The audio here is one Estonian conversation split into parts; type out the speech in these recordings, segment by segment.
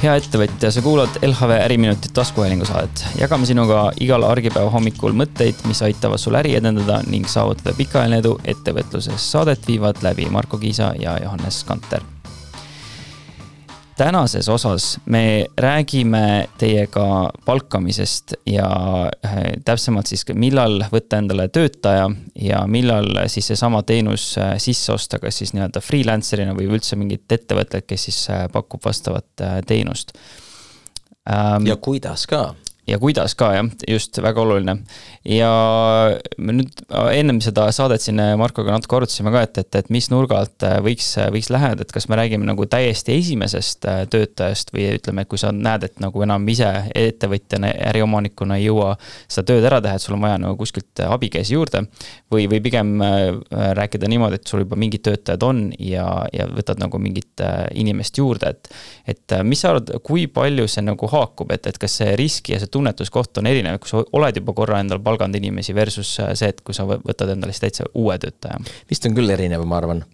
Hea ettevõtja, sa kuulad LHV Äriminutit taskuhäälingu saadet. Jagame sinuga igal argipäeva hommikul mõtteid, mis aitavad sul äri edendada ning saavutada pikaajaline edu ettevõtluses. Saadet viivad läbi Marko Kiisa ja Johannes Kanter. Tänases osas me räägime teiega palkamisest ja täpsemalt siis millal võtta endale töötaja ja millal siis see sama teenus sisse osta, kas siis nii-öelda freelancerina või üldse mingit ettevõtted, kes siis pakub vastavat teenust. Ja kuidas ka? Ja kuidas ka, jah, just väga oluline. Ja me nüüd ennem seda saadet siin Markoga natuke arutasime ka, et mis nurgalt võiks lähed, et kas me räägime nagu täiesti esimesest töötajast või ütleme, et kui sa näed, et nagu enam ise ettevõtjana, äriomanikuna ei jõua seda tööd ära teha, et sul on vaja nagu kuskilt abikäsi juurde või pigem rääkida niimoodi, et sul juba mingid töötajad on ja võtad nagu mingit inimest juurde, et mis sa arvad, kui palju see nagu haakub, et kas see riski ja see tunnetuskoht on erinev, kui sa oled juba korra endal palganud inimesi versus see, et kui sa võtad endale täitsa uue töötaja? Vist on küll erinev, ma arvan.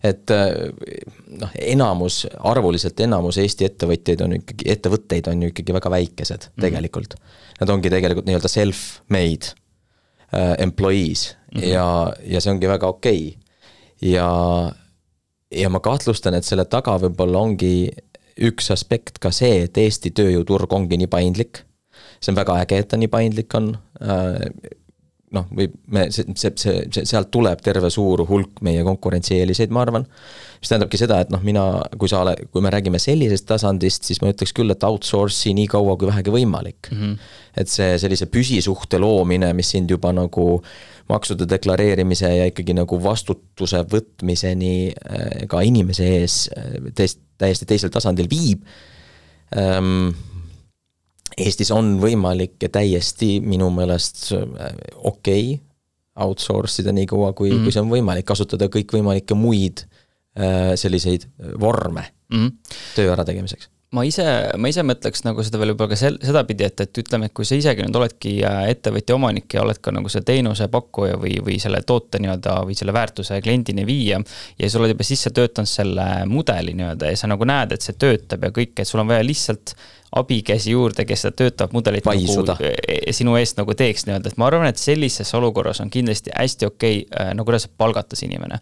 Et arvuliselt enamus Eesti ettevõtteid on ju ikkagi väga väikesed tegelikult. Nad ongi tegelikult nii-öelda self-made employees ja see ongi väga okei. Ja ma kahtlustan, et selle taga võib-olla ongi üks aspekt ka see, et Eesti tööjõuturg ongi nii paindlik. See on väga äge, et ta nii paindlik on. Sealt tuleb terve suur hulk meie konkurentsieeliseid, ma arvan. Mis tähendabki seda, et kui me räägime sellisest tasandist, siis ma ütleks küll, et outsource'i nii kaua kui vähegi võimalik. Et see sellise püsisuhte loomine, mis sind juba nagu maksude deklareerimise ja ikkagi nagu vastutuse võtmiseni ka inimese ees täiesti teisel tasandil viib. Eestis on võimalik ja täiesti minu meelest okei outsource ida nii kaua, kui see on võimalik kasutada kõik võimalikke muid selliseid vorme töö ära tegemiseks. Ma ise mõtleks nagu seda veel juba ka seda pidi, et ütleme, et kui sa isegi nüüd oledki ettevõtja omanik ja oled ka nagu see teenuse pakkuja või selle toote nii-öelda või selle väärtuse kliendini viia ja sa oled juba sisse töötanud selle mudeli nii-öelda ja sa nagu näed, et see töötab ja kõik, et sul on vaja lihtsalt abikäsi juurde, kes seda töötab mudelit nagu, sinu eest nagu teeks nii-öelda, et ma arvan, et sellises olukorras on kindlasti hästi okei, nagu kuidas palgatas inimene.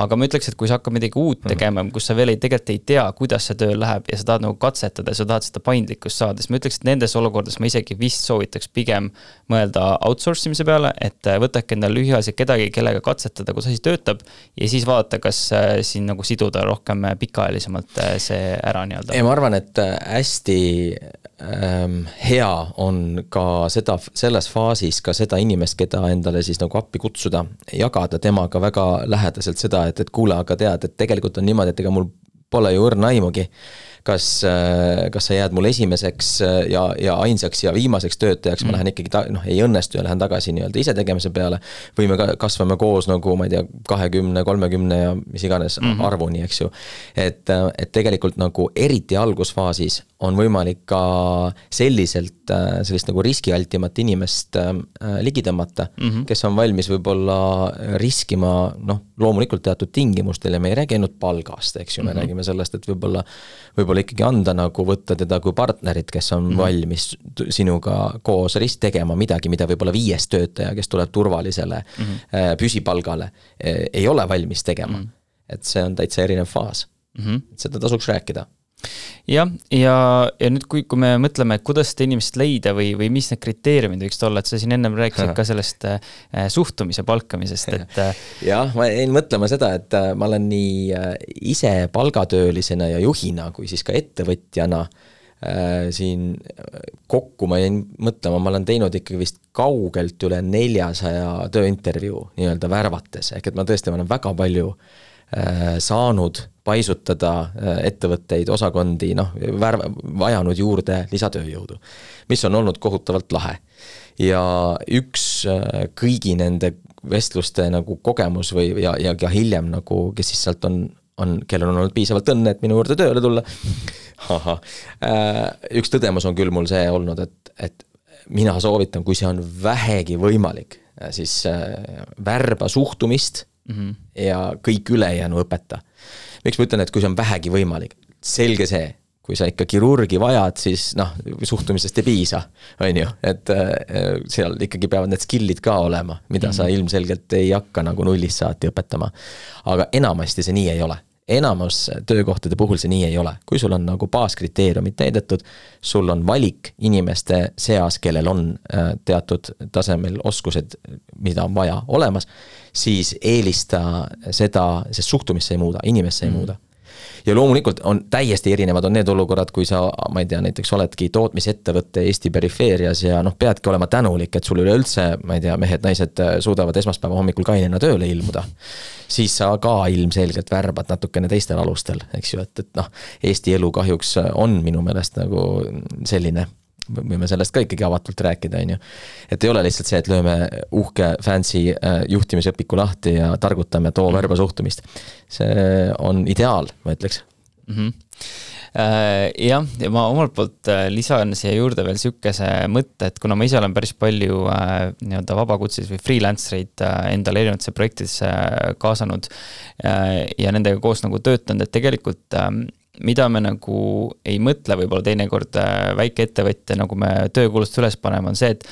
Aga ma ütleks, et kui sa hakkad midagi uut tegema, kus sa veel tegelikult ei tea, kuidas see töö läheb ja sa tahad nagu katsetada ja sa tahad seda paindlikkust saada, siis ma ütleks, et nendes olukordades ma isegi vist soovitaks pigem mõelda outsource imise peale, et võtake endale lühiajaliselt kedagi, kellega katsetada, kus asi töötab ja siis vaadata, kas siin nagu siduda rohkem pikaajalisemalt see ära nii-öelda. Ja ma arvan, et hästi hea on ka selles faasis ka seda inimest, keda endale siis nagu appi kutsuda, jagada temaga väga lähedaselt seda, et kuule, aga tead, et tegelikult on niimoodi, et ega mul pole ju õrna aimugi, kas sa jääd mul esimeseks ja ainsaks ja viimaseks töötajaks, ma lähen ikkagi, ei õnnestu ja lähen tagasi nii-öelda ise tegemise peale, või me kasvame koos nagu, ma ei tea, 20, 30 ja mis iganes arvuni, eks ju. Et tegelikult nagu eriti algusfaasis on võimalik ka sellist nagu riskialtimat inimest ligi tõmmata, kes on valmis võib-olla riskima, loomulikult teatud tingimustel ja me ei räägi ainult palgast, eks ju, me räägime sellest, et võib-olla ikkagi anda nagu võtta teda kui partnerit, kes on valmis sinuga koos tegema midagi, mida võib-olla 5 töötaja, kes tuleb turvalisele püsipalgale, ei ole valmis tegema. Et see on täitsa erinev faas. Seda tasuks rääkida. Ja nüüd kui me mõtleme, kuidas seda inimest leida või mis need kriteeriumid võiks olla, et sa siin ennem rääkisid ka sellest suhtumise palkamisest. Jah, ma jäin mõtlema seda, et ma olen nii ise palgatöölisena ja juhina, kui siis ka ettevõtjana siin kokku ma jäin mõtlema, ma olen teinud ikkagi vist kaugelt üle 400 tööintervjuu nii-öelda värvates, ehk et ma tõesti olen väga palju saanud paisutada ettevõtteid, osakondi, vajanud juurde lisatööjõudu, mis on olnud kohutavalt lahe. Ja üks kõigi nende vestluste nagu kogemus ja hiljem, nagu, kes siis sealt on, kellel on olnud piisavalt õnne, et minu juurde tööle tulla. Üks tõdemus on küll mul see olnud, et mina soovitan, kui see on vähegi võimalik, siis värba suhtumist ja kõik ülejäänu õpeta. Miks ma ütlen, et kui see on vähegi võimalik, selge see, kui sa ikka kirurgi vajad, siis noh, suhtumisest ei piisa, on ju, et seal ikkagi peavad need skillid ka olema, mida sa ilmselgelt ei hakka nagu nullist saati õpetama. Aga enamasti see nii ei ole. Enamus töökohtade puhul see nii ei ole. Kui sul on nagu baaskriteeriumid täidetud, sul on valik inimeste seas, kellel on teatud tasemel oskused, mida on vaja olemas, siis eelista seda, sest suhtumisse ei muuda, inimesse ei muuda. Ja loomulikult on täiesti erinevad on need olukorrad, kui sa, ma ei tea, näiteks oledki tootmisettevõtte Eesti perifeerias ja noh, peadki olema tänulik, et sul üleüldse, ma ei tea, mehed, naised suudavad esmaspäeva hommikul kainena tööle ilmuda. Siis sa ka ilmselgelt värbad natukene teistel alustel, eks ju, et noh, Eesti elu kahjuks on minu meelest nagu selline, võime sellest ka ikkagi avatult rääkida, on ju. Et ei ole lihtsalt see, et lööme uhke fancy juhtimisõpiku lahti ja targutame too värba suhtumist. See on ideaal, ma ütleks. Jah, ja ma omalt poolt lisan siia juurde veel sükese mõtte, et kuna ma ise olen päris palju nii-öelda vabakutselis või freelancereid endale erinevatesse projektidesse kaasanud ja nendega koos nagu töötanud, et tegelikult mida me nagu ei mõtle võib-olla teinekord väike ettevõtja, nagu me töökuulutust üles paneme, on see, et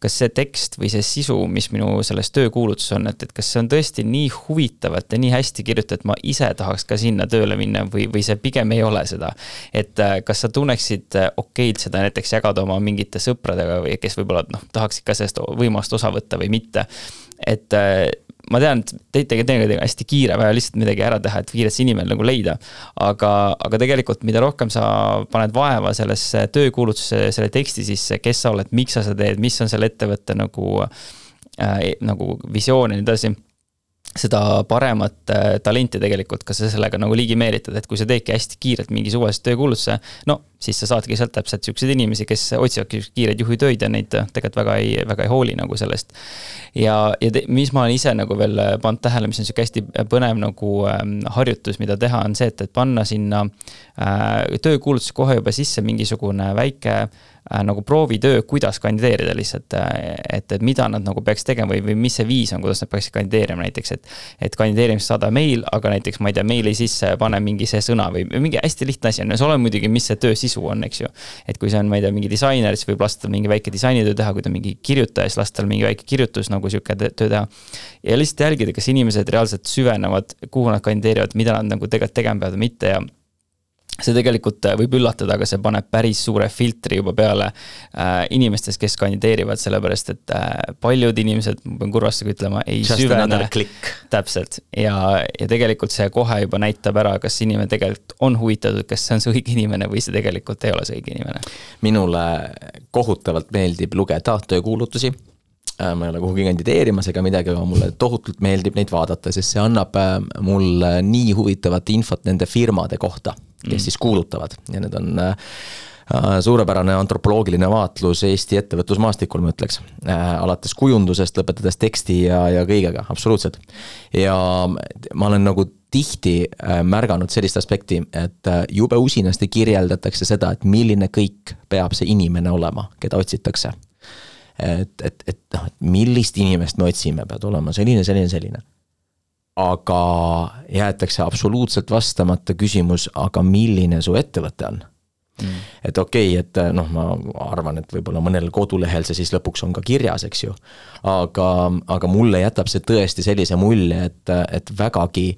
kas see tekst või see sisu, mis minu selles töökuulutus on, et kas see on tõesti nii huvitavat ja nii hästi kirjutatud, et ma ise tahaks ka sinna tööle minna või see pigem ei ole seda. Et kas sa tunneksid okeid seda näiteks jagada oma mingite sõpradega või kes võib-olla tahaks ikka sellest võimast osa võtta või mitte. Et ma tean, et tegelikult hästi kiire vaja lihtsalt midagi ära teha, et kiirelt see inimene nagu leida. Aga tegelikult, mida rohkem sa paned vaeva sellesse töökuulutusse, selle teksti sisse, kes sa oled, miks sa seda teed, mis on selle ettevõtte nagu visioon ja nii edasi, seda paremat talenti tegelikult, kas sa sellega nagu ligi meelitad, et kui sa teedki hästi kiirelt mingi suvalist töökuulutuse, no siis sa saadki sealt täpselt sellised inimesi, kes otsivadki kiireid juhitöid ja neid tegelikult väga ei hooli nagu sellest. Ja mis ma olen ise nagu veel pannud tähele, mis on selline hästi põnev nagu harjutus, mida teha, on see, et panna sinna töökuulutusse kohe juba sisse mingisugune väike nagu proovitöö, kuidas kandideerida lihtsalt, et mida nad nagu peaks tegema või mis see viis on, kuidas nad peaks kandideerima näiteks, et kandideerimist saada meil, aga näiteks, ma ei tea, meili sisse pane mingi see sõna või mingi hästi lihtne asi on, see ole muidugi, mis see töö sisu on, eks ju. Et kui see on, ma ei tea, mingi disainer, siis võib lasta mingi väike disainitöö teha, kui ta mingi kirjutaja, siis lasta mingi väike kirjutus nagu siuke töö teha. Ja lihtsalt jälgida, kas inimesed reaalselt süvenevad, kuhu nad kandideerivad, mida nad nagu tegelikult tegema peavad mitte ja see tegelikult võib üllatada, aga see paneb päris suure filtri juba peale inimestes, kes kandideerivad, sellepärast, et paljud inimesed, ma pean kurvastega ütlema, ei süvene. Täpselt. Ja tegelikult see kohe juba näitab ära, kas inimene tegelikult on huvitatud, kas see on see õige inimene või see tegelikult ei ole see õige inimene. Minule kohutavalt meeldib lugeda töökuulutusi. Ma ei ole kuhugi kandideerimas ega midagi, aga mulle tohutult meeldib neid vaadata, sest see annab mulle nii huvitavat infot nende firmade kohta, kes siis kuulutavad. Ja need on suurepärane antropoloogiline vaatlus Eesti ettevõtlusmaastikul, ma ütleks. Alates kujundusest, lõpetades teksti ja kõigega, absoluutselt. Ja ma olen nagu tihti märganud sellist aspekti, et jube usinasti kirjeldatakse seda, et milline kõik peab see inimene olema, keda otsitakse. Et millist inimest me otsime, peab olema selline. Aga jäetakse absoluutselt vastamata küsimus, aga milline su ettevõte on? Et okei, et ma arvan, et võib-olla mõnel kodulehel see siis lõpuks on ka kirjas, eks ju. Aga mulle jätab see tõesti sellise mulje, et vägagi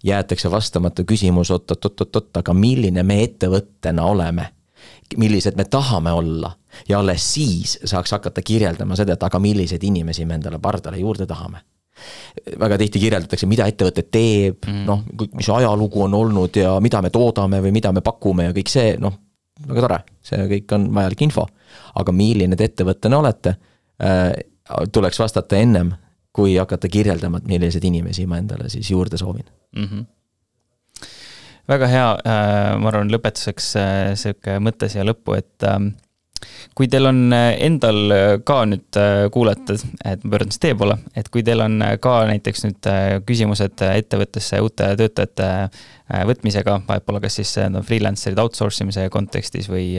jäetakse vastamata küsimus, aga milline me ettevõttena oleme? Millised me tahame olla ja alles siis saaks hakata kirjeldama seda, et aga millised inimesi me endale pardale juurde tahame. Väga tihti kirjeldatakse, mida ettevõte teeb, mis ajalugu on olnud ja mida me toodame või mida me pakume ja kõik see, väga tore, see kõik on vajalik info. Aga milline te ettevõttena olete, tuleks vastata ennem, kui hakata kirjeldama, et millised inimesi ma endale siis juurde soovin. Väga hea, ma arvan lõpetuseks selline mõte siia lõppu, et kui teil on endal ka nüüd kuulata, et ma pöördun teie poole, et kui teil on ka näiteks nüüd küsimused ettevõttesse uute töötajate võtmisega, võib-olla kas siis freelancerid outsourcimise kontekstis või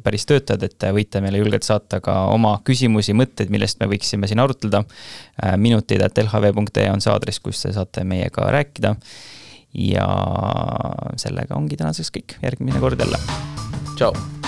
päris töötajad, et võite meile julgelt saata ka oma küsimusi, mõtteid, millest me võiksime siin arutleda. minutid@lhv.ee on see aadress, kus te saate meiega rääkida. Ja sellega ongi tänaseks kõik, järgmine kord jälle. tšau.